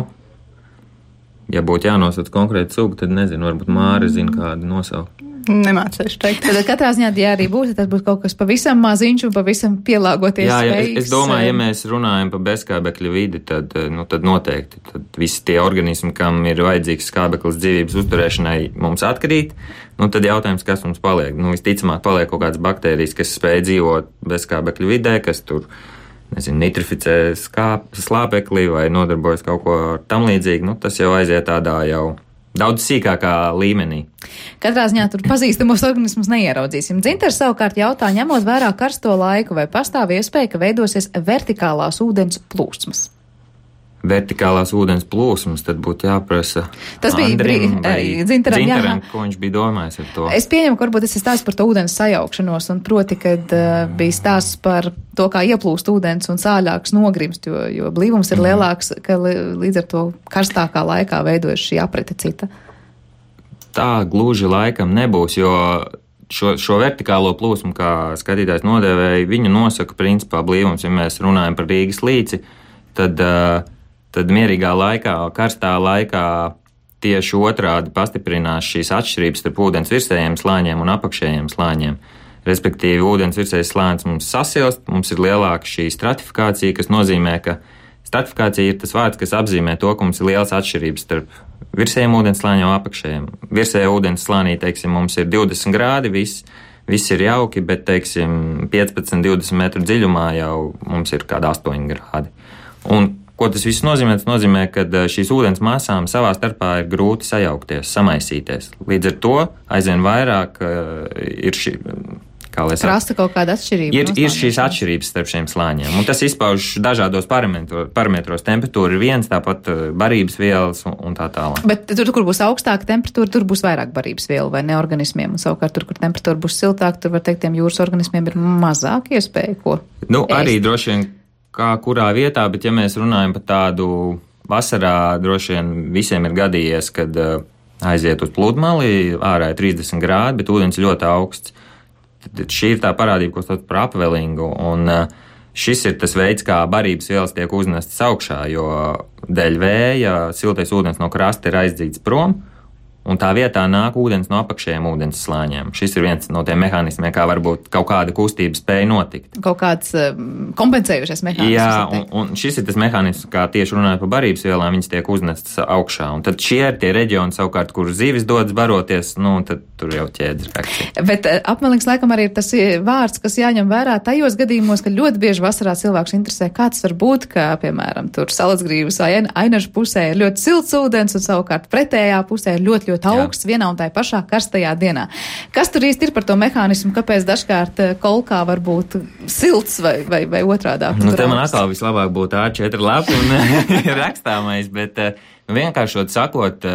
ja būtu jānosauc konkrēti sugu, tad nezinu, varbūt Māra zina kādu nosaukt. Nemācēšu teikt. Tad katrā ziņā, ja arī būtu, tad būtu kaut kas pavisam maziņš un pavisam pielāgoties jā, jā, spējīgs. Es, es domāju, ja mēs runājam par bezskābekļa vidi, tad, nu, tad noteikti. Tad visi tie organismi, kam ir vajadzīgs skābeklis dzīvības uzturēšanai, mums atkrīt. Nu, tad jautājums, kas mums paliek? Nu, visticamāk, paliek kaut kādas baktērijas, kas spēj dzīvot bezskābekļa vidē, kas tur nezinu, nitrificē skāp, slāpekli vai nodarbojas kaut ko tam līdzīgi, nu, tas jau aiziet tādā jau daudz sīkākā līmenī. Katrā ziņā tur pazīstamos organismus neieraudzīsim. Dzintars savukārt jautā, ņemot vērā karsto laiku, vai pastāv iespēja, ka veidosies vertikālās ūdens plūsmas? Vertikālās ūdens plūsmas, tad būtu jāprasa Tas bija Andrim brī, arī Dzintaram, Dzintaram, jā. ko viņš bija domājis ar to. Es pieņemu, ka varbūt tas ir stāsts par to ūdens sajaukšanos, un proti, kad uh, bija stāsts par to, kā ieplūst ūdens un sāļāks nogrimst, jo, jo blīvums ir lielāks, ka li, līdz ar to karstākā laikā veidojas šī aprite cita. Tā gluži laikam nebūs, jo šo, šo vertikālo plūsmu, kā skatītājs nodēvēja, viņu nosaka principā blīvums. Ja mēs runājam par Rīgas līci, tad uh, tad mierīgā laikā, karstā laikā tieši otrādi pastiprinās šīs atšķirības starp ūdens virsējiem slāņiem un apakšējiem slāņiem. Respektīvi, ūdens virsējais slānis mums sasilst, mums ir lielāka šī stratifikācija, kas nozīmē, ka stratifikācija ir tas vārds, kas apzīmē to, ka mums ir liels atšķirības starp virsējiem ūdens slāņiem un apakšējiem. Virsējā ūdens slānī, teiksim, mums ir divdesmit grādi, viss, viss ir jauki, bet, teiksim, piecpadsmit divdesmit metru dziļumā jau mums ir kādi astoņi grādi. Un ko tas viss nozīmē? Tas nozīmē, ka šīs ūdens masām savā starpā ir grūti sajaukties, samaisīties. Līdz ar to aizvien vairāk uh, ir šī, kā lai saka, Krasta kaut kāda atšķirība. Ir, ir šīs atšķirības starp šiem slāņiem. Un tas izpauž dažādos parametro, parametros. Temperatūra ir viens, tāpat barības vielas un, un tā tālāk. Bet tur, kur būs augstāka temperatūra, tur būs vairāk barības vielu vai ne organismiem. Un savukārt tur, kur temperatūra būs siltāka, tur var teikt, tiem jūras organismiem ir mazāk iespēja ko Nu, ēst. Arī droši vien kā kurā vietā, bet ja mēs runājam par tādu vasarā, droši vien visiem ir gadījies, kad uh, aiziet uz pludmali, ārā ir trīsdesmit grādi, bet ūdens ļoti augsts. Tad šī ir tā parādība, ko sauc par upwellingu, un uh, šis ir tas veids, kā barības vielas tiek uznestas augšā, jo dēļ vēja siltais ūdens no krasta ir aizdzīts prom, un tā vietā nāk ūdens no apakšējiem ūdens slāņiem. Šis ir viens no tiem mehānismiem, kā varbūt kaut kāda kustība spēja notikt. Kaut kāds um, kompensējušies mehānisms. Jā, un, un šis ir tas mehānisms, kā tieši runājot par barības vielām, viņas tiek uznestas augšā. Un tad šie ir tie reģioni savukārt, kur zivis dodas baroties, nu, tad tur jau ķēdes reakcija. Bet apmelings laikam arī ir tas vārds, kas jāņem vērā tajos gadījumos, ka ļoti bieži vasarā cilvēks interesē, kāds var būt, ka, piemēram, tur Salacgrīvas vai Ainažu pusē ir ļoti silts ūdens un savukārt pretējā pusē ir ļoti, ļoti augsts vienā un tā pašā karstajā dienā. Kas tur īsti ir par to mehānismu, kāpēc dažkārt kolkā var būt silts vai, vai, vai otrādāk? Nu, te man atkal vislabāk būtu A četri lapu un rakstāmais, bet nu, vienkāršot sakot,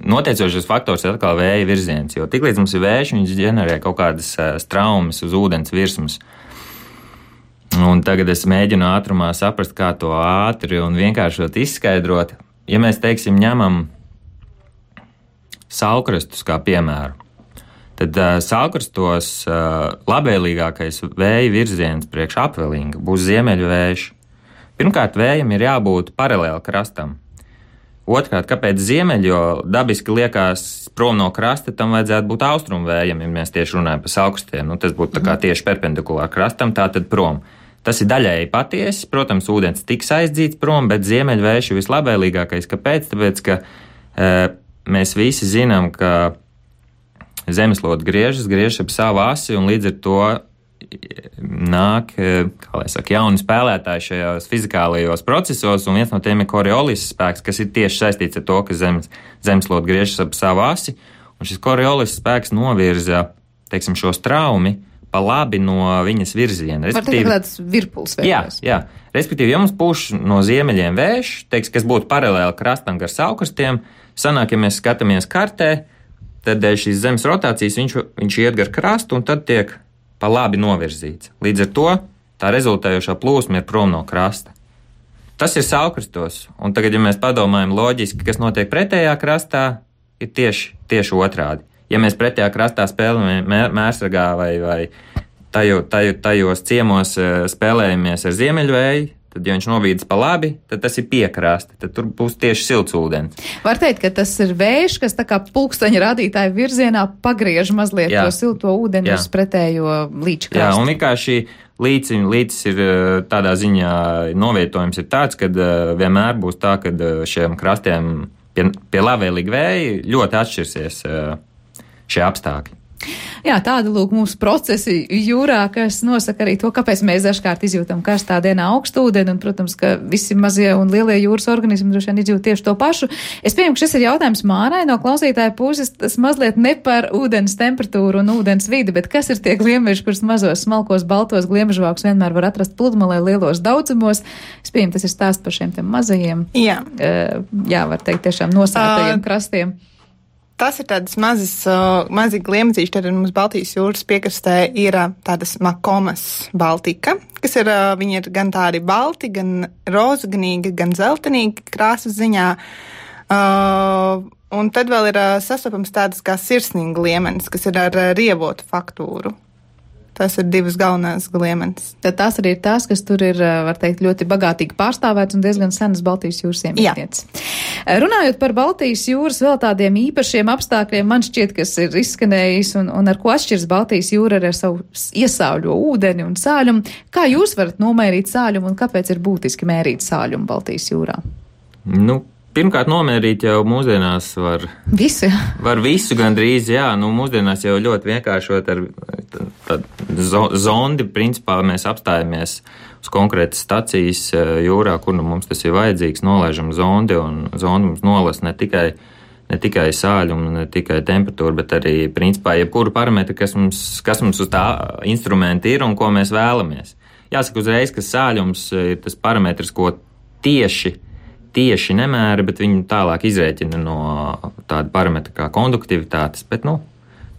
noteicošais faktors ir atkal vēja virziens, jo tiklīdz mums ir vējš, viņš ģenerē kaut kādas straumes uz ūdens virsmas. Un tagad es mēģinu ātrumā saprast, kā to ātri un vienkāršot izskaidrot. Ja mēs, teiksim, ņemam saulkrastus kā piemēru, tad uh, saulkrastos uh, labvēlīgākais vēja virziens priekš apvelinga būs ziemeļu vējš. Pirmkārt, vējam ir jābūt paralēli krastam. Otrkārt, kāpēc ziemeļi, jo dabiski liekas prom no krasta, tam vajadzētu būt austrumu vējam, ja mēs tieši runājam par saulkrastiem. Nu, tas būtu tā kā tieši perpendikulāri krastam, tātad prom. Tas ir daļēji patiesi, protams, ūdens tiks aizdzīts prom, bet ziemeļu vējš ir vislabvēlīgākais. Kāpēc? Tāpēc, ka uh, mēs visi zinām, ka zemeslode griežas, griežas ap savu asi, un līdz ar to nāk, kā lai saka, jauni spēlētāji šajos fizikālajos procesos, un viens no tiem ir Coriolis spēks, kas ir tieši saistīts ar to, ka zemes, zemeslode griežas ap savu asi, un šis Coriolis spēks novirza, teiksim, šo straumi pa labi no viņas virziena. Var teikt, ka tāds virpuls veidojas. Jā, jā. Respektīvi, ja mums pūš no ziemeļiem vējš, teiks, kas būtu paralēli krastam gar saulkrastiem, sanāk, ja mēs skatāmies kartē, tad dēļ šīs zemes rotācijas viņš, viņš iet gar krastu un tad tiek pa labi novirzīts. Līdz ar to tā rezultējošā plūsma ir prom no krasta. Tas ir saulkrastos, un tagad, ja mēs padomājam loģiski, kas notiek pretējā krastā, ir tieši, tieši otrādi. Ja mēs pretējā krastā spēlējam mērsragā vai, vai tajo, tajo, tajos ciemos spēlējamies ar ziemeļvēju, tad, ja viņš novīdas pa labi, tad tas ir piekrasta, tad tur būs tieši silts ūdens. Var teikt, ka tas ir vējš, kas tā kā pulksteņa rādītāja virzienā pagriež mazliet Jā. To silto ūdeni Jā. Uz pretējo līča krastu. Jā, un vienkārši līcis, līcis ir tādā ziņā novietojums ir tāds, ka vienmēr būs tā, ka šiem krastiem pie, pie labvēlīgi vēji ļoti atšķirsies šie apstākļi. Jā, tāda lūk mūsu procesi jūrā, kas nosaka arī to, kāpēc mēs dažkārt izjūtam karstā dienā augstu ūdeni, un, protams, ka visi mazie un lielie jūras organismi droši vien izjūt tieši to pašu. Es pieņemu, ka šis ir jautājums Mārai no klausītāja puses, tas mazliet ne par ūdens temperatūru un ūdens vidi, bet kas ir tie gliemeži, kurus mazos, smalkos, baltos gliemežvākus vienmēr var atrast pludmalē lielos daudzumos. Es pieņemu, tas ir stāsts par šiem tiem mazajiem. Jā. Uh, jā, var teikt, tiešām nosētajiem uh, krastiem. Tas ir tādas mazas, uh, mazi gliemezīši, tad mums Baltijas jūras piekrastē ir uh, tādas makomas baltika, kas ir, uh, viņi ir gan tādi balti, gan rozaganīgi, gan zeltenīgi krāsas ziņā. Uh, un tad vēl ir uh, sastopams tādas kā sirsnīgi gliemenis, kas ir ar uh, rievotu faktūru. Tas ir divas galvenās gliemenes. Tad tās arī ir tās, kas tur ir, var teikt, ļoti bagātīgi pārstāvēts un diezgan senas Baltijas jūras iemītnieces. Runājot par Baltijas jūras vēl tādiem īpašiem apstākļiem, man šķiet, kas ir izskanējis un, un ar ko atšķiras Baltijas jūra ar savu iesāļo ūdeni un sāļumu. Kā jūs varat nomērīt sāļumu un kāpēc ir būtiski mērīt sāļumu Baltijas jūrā? Nu, pirmkārt, nomērīt jau mūsdienās var visu, var visu gandrīz, jā, nu mūsdienās jau ļoti vienkāršot ar tādu zondi, principā mēs apstājamies uz konkrētas stacijas jūrā, kur nu mums tas ir vajadzīgs, nolaižam zondi, un zondi mums nolas ne tikai, ne tikai sāļumu, ne tikai temperatūru, bet arī, principā, jebkuru parametru, kas mums, kas mums uz tā instrumenta ir un ko mēs vēlamies. Jāsaka uzreiz, ka sāļums ir tas parametrs, ko tieši tieši nemēra, bet viņi tālāk izrēķina no tāda parametra kā konduktivitātes, bet, nu,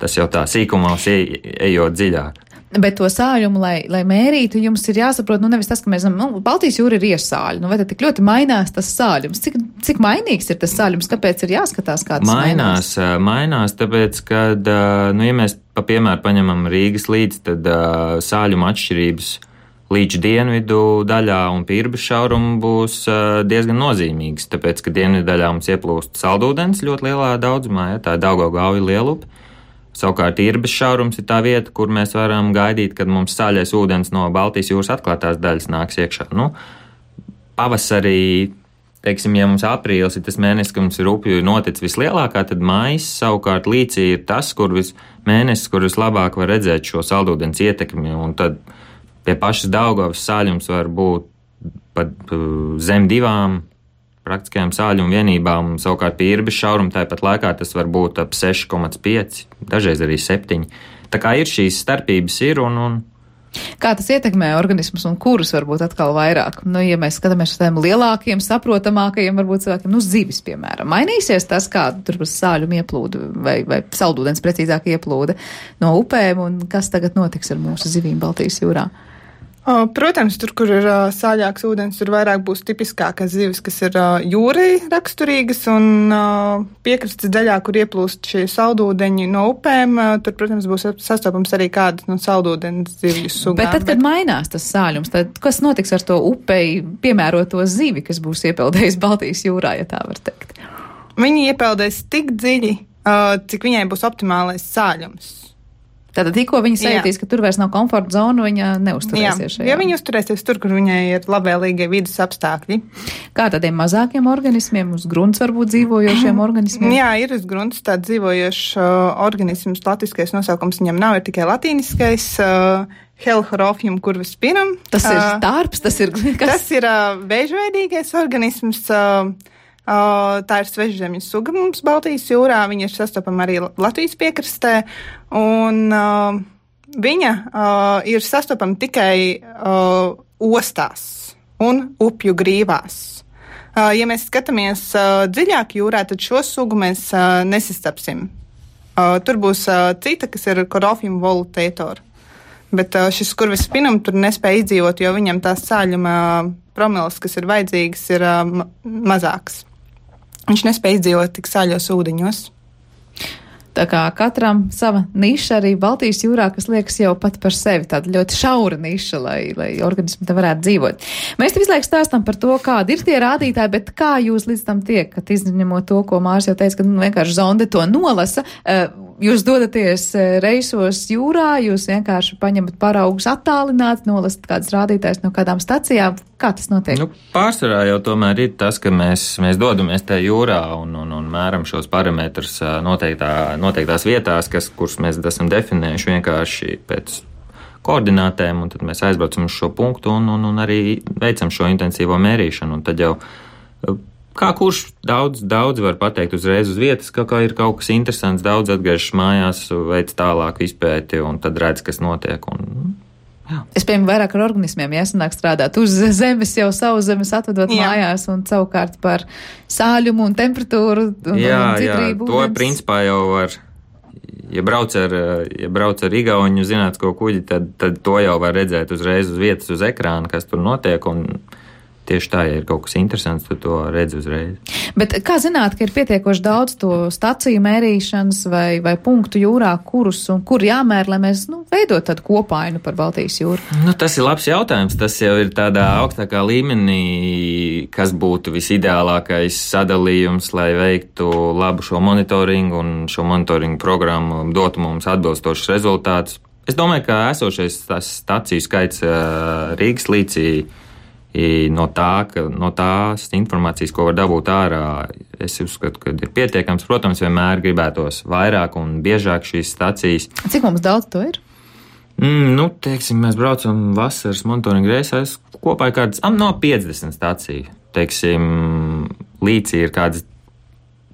tas jau tā sīkumos ejot dziļāk. Bet to sāļumu, lai, lai mērītu, jums ir jāsaprot, nu, nevis tas, ka mēs, nu, Baltijas jūra ir iesāļi, nu, vai tad tik ļoti mainās tas sāļums? Cik, cik mainīgs ir tas sāļums? Kāpēc ir jāskatās, kā tas mainās? Mainās, mainās, tāpēc, kad, nu, ja mēs, pa piemēru, paņemam Rīgas līdz, tad sāļuma atšķirības līdz dienvidu daļā un Pirbes šaurumu būs uh, diezgan nozīmīgs, tāpēc, ka dienvidu daļā mums ieplūst saldūdens ļoti lielā daudzumā, ja, tā ir Daugavgauja lielupe. Savukārt Pirbes šaurums ir tā vieta, kur mēs varam gaidīt, kad mums sāļais ūdens no Baltijas jūras atklātās daļas nāks iekšā. Nu, pavasarī, teiksim, ja mums aprīlis ir tas mēnesis, ka mums ir upju notic vislielākā, tad maijs savukārt līcī ir tas, kur vis mēnesis, kur vislabāk var redzēt šo saldūdens ietekmi, un tad pie pašas Daugavas sāļums var būt pat zem divām praktiskajām sāļumu vienībām, savukārt pie Pirbes šauruma tāpat laikā tas var būt ap seši komats pieci, dažreiz arī septiņi. Tā kā ir šīs starpības ir un... un Kā tas ietekmē organismus un kurus varbūt atkal vairāk? Nu, ja mēs skatāmies uz tiem lielākiem, saprotamākajiem, varbūt cilvēkiem, nu, zivis, piemēram, mainīsies tas, kā tur sāļumi ieplūda vai, vai saldūdens precīzāk ieplūda no upēm, un kas tagad notiks ar mūsu zivīm Baltijas jūrā? Protams, tur, kur ir sāļāks ūdens, tur vairāk būs tipiskākas zivis, kas ir jūrai raksturīgas, un piekrastes daļā, kur ieplūst šie saldūdeņi no upēm, tur, protams, būs sastopams arī kādas no saldūdens zivju sugām. Bet tad, kad bet... mainās tas sāļums, tad kas notiks ar to upei piemēroto zivi, kas būs iepeldējis Baltijas jūrā, ja tā var teikt? Viņi iepeldēs tik dziļi, cik viņai būs optimālais sāļums. Tātad tikko viņa sajūtīs, ka tur vairs nav komforta zona, viņa neuzturēsies šajā. Jā, viņa uzturēsies tur, kur viņai ir labvēlīgie vidas apstākļi. Kā tādiem mazākiem organismiem, uz grunts varbūt dzīvojošiem organismiem? Jā, ir uz grunts tāds dzīvojošs uh, organisms, latviskais nosaukums viņam nav, ir tikai latīniskais uh, Helchorofjum curvispinum. Tas ir tārps, tas ir... Kas? Tas ir uh, vēžveidīgais organisms, uh, Uh, tā ir svežzemes suga mums Baltijas jūrā, viņa ir sastopama arī Latvijas piekrastē, un uh, viņa uh, ir sastopama tikai uh, ostās un upju grīvās. Uh, ja mēs skatāmies uh, dziļāk jūrā, tad šo sugu mēs uh, nesastapsim. Uh, tur būs uh, cita, kas ir Corofjum volutator, bet uh, šis curvispinum tur nespēja izdzīvot, jo viņam tās sāļuma promils, kas ir vajadzīgas, ir uh, ma- mazāks. Viņš nespēja izdzīvot tik sāļos ūdeņos. Tā kā katram sava niša arī Baltijas jūrā, kas liekas jau pat par sevi tāda ļoti šaura niša, lai, lai organismi te varētu dzīvot. Mēs te visu laiku stāstam par to, kādi ir tie rādītāji, bet kā jūs līdz tam tiekat, izņemot to, ko Mārs jau teica, ka nu, vienkārši zonde to nolasa. jūs dodaties reisos jūrā, jūs vienkārši paņemat paraugus attālināt, nolasat kādas rādītājas no kādām stacijām. Kā tas notiek? Nu, pārsvarā jau tomēr ir tas, ka mēs, mēs dodamies tajā jūrā un, un, un mēram šos parametrus noteiktā, noteiktās vietās, kas, kuras mēs esam definējuši vienkārši pēc koordinātēm, un tad mēs aizbraucam uz šo punktu un, un, un arī veicam šo intensīvo mērīšanu. Un tad jau, kā kurš daudz, daudz var pateikt uzreiz uz vietas, ka kā ir kaut kas interesants, daudz atgriežas mājās, veic tālāku izpēti un tad redz, kas notiek. Un, jā. Es piemēram vairāk ar organismiem jāsanāk strādāt uz zemes, jau savu zemes atvedot jā. Mājās un savukārt par sāļumu un temperatūru un, jā, un citrību. Jā, to ūdens. Principā jau var. Ja brauc ar, ja brauc ar igauņu zinātnisko kuģi, tad, tad to jau var redzēt uzreiz uz vietas, uz ekrāna, kas tur notiek, un tieši tā, ja ir kaut kas interesants, tad to redz uzreiz. Bet kā zināt, ka ir pietiekoši daudz to staciju mērīšanas vai, vai punktu jūrā, kurus un kur jāmēr, lai mēs, nu, veidot tādu kopainu par Baltijas jūru? Nu, tas ir labs jautājums. Tas jau ir tādā augstākā līmenī, kas būtu visideālākais sadalījums, lai veiktu labu šo monitoringu un šo monitoringu programmu dotu mums atbilstošus rezultātus. Es domāju, ka esošais tas staciju skaits Rīgas līcī No, tā, ka, no tās informācijas, ko var dabūt ārā, es uzskatu, ka ir pietiekams. Protams, vienmēr gribētos vairāk un biežāk šīs stacijas. Cik mums daudz to ir? Mm, nu, teiksim, mēs braucam vasaras monitoringa reisēs kopā kādas no piecdesmit staciju. Teiksim, līcī ir kādas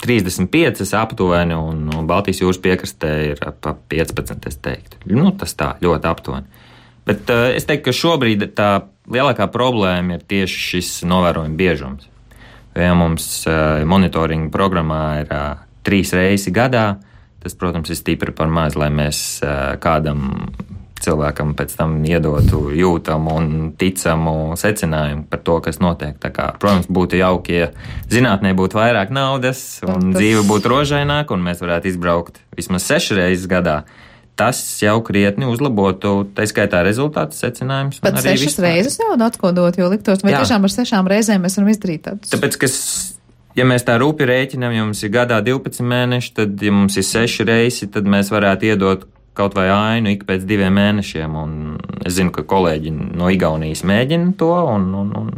trīsdesmit piecas aptuveni un, un Baltijas jūras piekrastē ir ap piecpadsmit, es teiktu. Nu, tas tā, ļoti aptuveni. Bet uh, es teiktu, ka šobrīd tā lielākā problēma ir tieši šis novērojuma biežums. Ja mums uh, monitoringa programmā ir uh, trīs reisi gadā, tas, protams, ir stipri par maz, lai mēs uh, kādam cilvēkam pēc tam iedotu jūtamu un ticamu secinājumu par to, kas notiek. Tā kā, protams, būtu jauki, ja zinātnē būtu vairāk naudas un tas... dzīve būtu rožaināka un mēs varētu izbraukt vismaz sešas reizes gadā. Tas jau krietni uzlabotu, tā skaitā rezultātu secinājumus. Bet sešas vispār. Reizes jau atkodot, jo liktos, vai Jā. Tiešām ar sešām reizēm mēs varam izdarīt tādus? Tāpēc, ka, ja mēs tā rūpi rēķinām, ja mums ir gadā divpadsmit mēneši, tad, ja mums ir seši reisi, tad mēs varētu iedot kaut vai ainu ik pēc diviem mēnešiem. Un es zinu, ka kolēģi no Igaunijas mēģina to un... un, un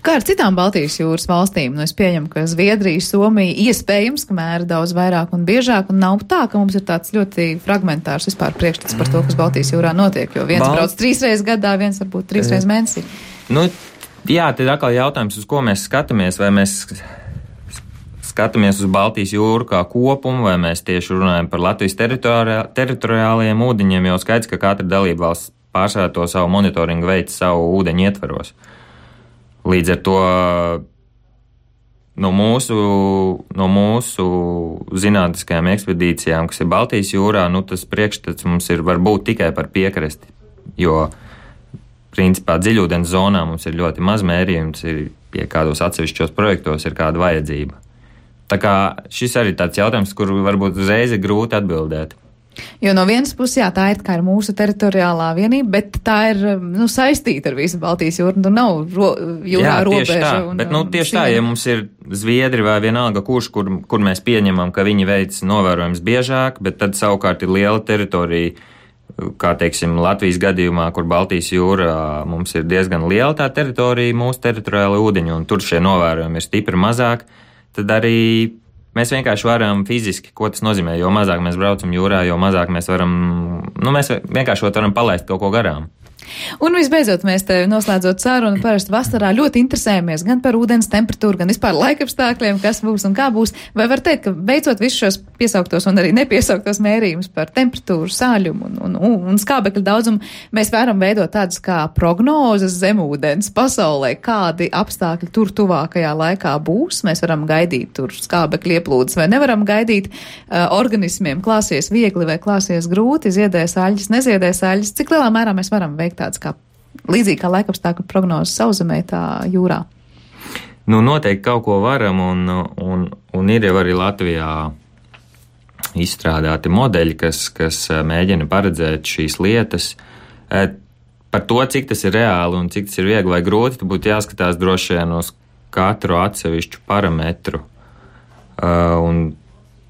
Kā ar citām Baltijas jūras valstīm? Nu, es pieņemu, ka Zviedrija, Somija iespējams, ka mēra daudz vairāk un biežāk, un nav tā, ka mums ir tāds ļoti fragmentārs vispār priekšstats par to, kas Baltijas jūrā notiek, jo viens Bal... brauc trīs reizes gadā, viens varbūt trīs reizes mēnesī. Nu, jā, tad atkal jautājums, uz ko mēs skatāmies, vai mēs skatāmies uz Baltijas jūru kā kopumu, vai mēs tieši runājam par Latvijas teritori... teritoriālajiem ūdeņiem, jo skaidrs, ka katra dalība valsts pārsvarā to savu monitoringu veids savu ūdeņu ietvaros. Līdz ar to no mūsu, no mūsu zinātniskajām ekspedīcijām, kas ir Baltijas jūrā, nu, tas priekšstats mums ir varbūt tikai par piekrasti, jo principā dziļūdens zonā mums ir ļoti maz mērījums, ir, ja kādos atsevišķos projektos ir kāda vajadzība. Tā kā šis arī tāds jautājums, kur varbūt uzreiz ir grūti atbildēt. Jo no vienas puses, jā, tā ir kā ir mūsu teritoriālā vienība, bet tā ir, nu, saistīta ar visu Baltijas jūru, nu, nav ro, jūrā jā, robeža. Tā, un, bet, nu, tieši tā, ja mums ir Zviedri vai vienalga kurš, kur, kur mēs pieņemam, ka viņi veic novērojums biežāk, bet tad savukārt ir liela teritorija, kā, teiksim, Latvijas gadījumā, kur Baltijas jūra mums ir diezgan liela tā teritorija, mūsu teritoriāla ūdeņa, un tur šie novērojumi ir stipri mazāk, tad arī mēs vienkārši varam fiziski, ko tas nozīmē, jo mazāk mēs braucam jūrā, jo mazāk mēs varam, nu, mēs vienkārši varam palaist kaut ko garām. Un visbeidzot, mēs te noslēdzot sarunu, parasti vasarā ļoti interesējamies gan par ūdens temperatūru, gan vispār laikapstākļiem, kas būs un kā būs. Vai var teikt, ka beidzot visus šos piesauktos un arī nepiesauktos mērījumus par temperatūru, sāļumu un, un, un, un skābekļa daudzumu, mēs varam veidot tādus kā prognozes zemūdens pasaulē, kādi apstākļi tur tuvākajā laikā būs. Mēs varam gaidīt tur skābekļa ieplūdes vai nevaram gaidīt uh, organismiem klāsies viegli vai klāsies grūti, ziedēs aļģis, neziedēs aļģis. Cik lielā mērā mēs varam veikt tāds kā līdzīgi kā laikapstākļu prognozes sauszemē tā jūrā? Nu, noteikti kaut ko varam, un, un, un ir jau arī Latvijā izstrādāti modeļi, kas, kas mēģina paredzēt šīs lietas. Par to, cik tas ir reāli un cik tas ir viegli vai grūti, tad būtu jāskatās droši vien uz katru atsevišķu parametru. Un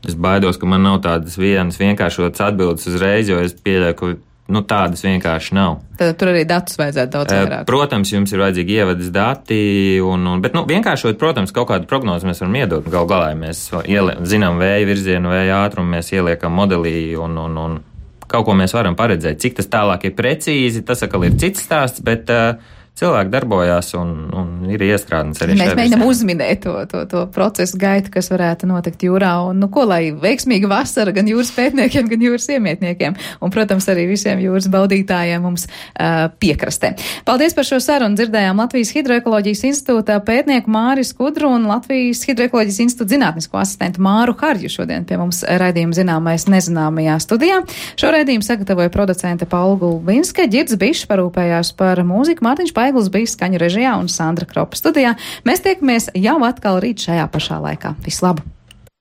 Es baidos, ka man nav tādas vienas vienkāršotas atbildes uzreiz, jo es pieļauju, ka nu, tādas vienkārši nav. Tad tur arī datus vajadzētu daudz vairāk. Protams, jums ir vajadzīgi ievadas dati, un, un, bet nu, vienkāršot, protams, kaut kādu prognozi mēs varam iedot. Gal galā mēs ielie, zinām vēja virzienu, vēja ātrumu, mēs ieliekam modelī, un, un, un kaut ko mēs varam paredzēt. Cik tas tālāk ir precīzi, tas atkal ir cits stāsts, bet uh, cilvēki darbojās un, un ir iestrādāts arī šajā. Mēs mēģinām uzminēt to, to, to procesu gaitu, kas varētu notikt jūrā, un nu ko, lai veiksmīga vasara gan jūras pētniekiem, gan jūras iemietniekiem, un, protams, arī visiem jūras baudītājiem mums uh, piekrastē. Paldies par šo sarunu. Dzirdējām Latvijas Hidroekoloģijas institūta pētnieku Māri Skudru un Latvijas Hidroekoloģijas institūta zinātnisko asistentu Māru Harju šodien pie mums raidījuma Zināmais nezināmajā studijā. Šo raidījumu sagatavoja producente Paula Gulbinska, Ģirds Bišs parūpējās par mūziku, Mārtiņš Paigls bija skaņu režijā un Sandra Kropa studijā. Mēs tiekamies jau atkal rīt šajā pašā laikā. Vislabāk!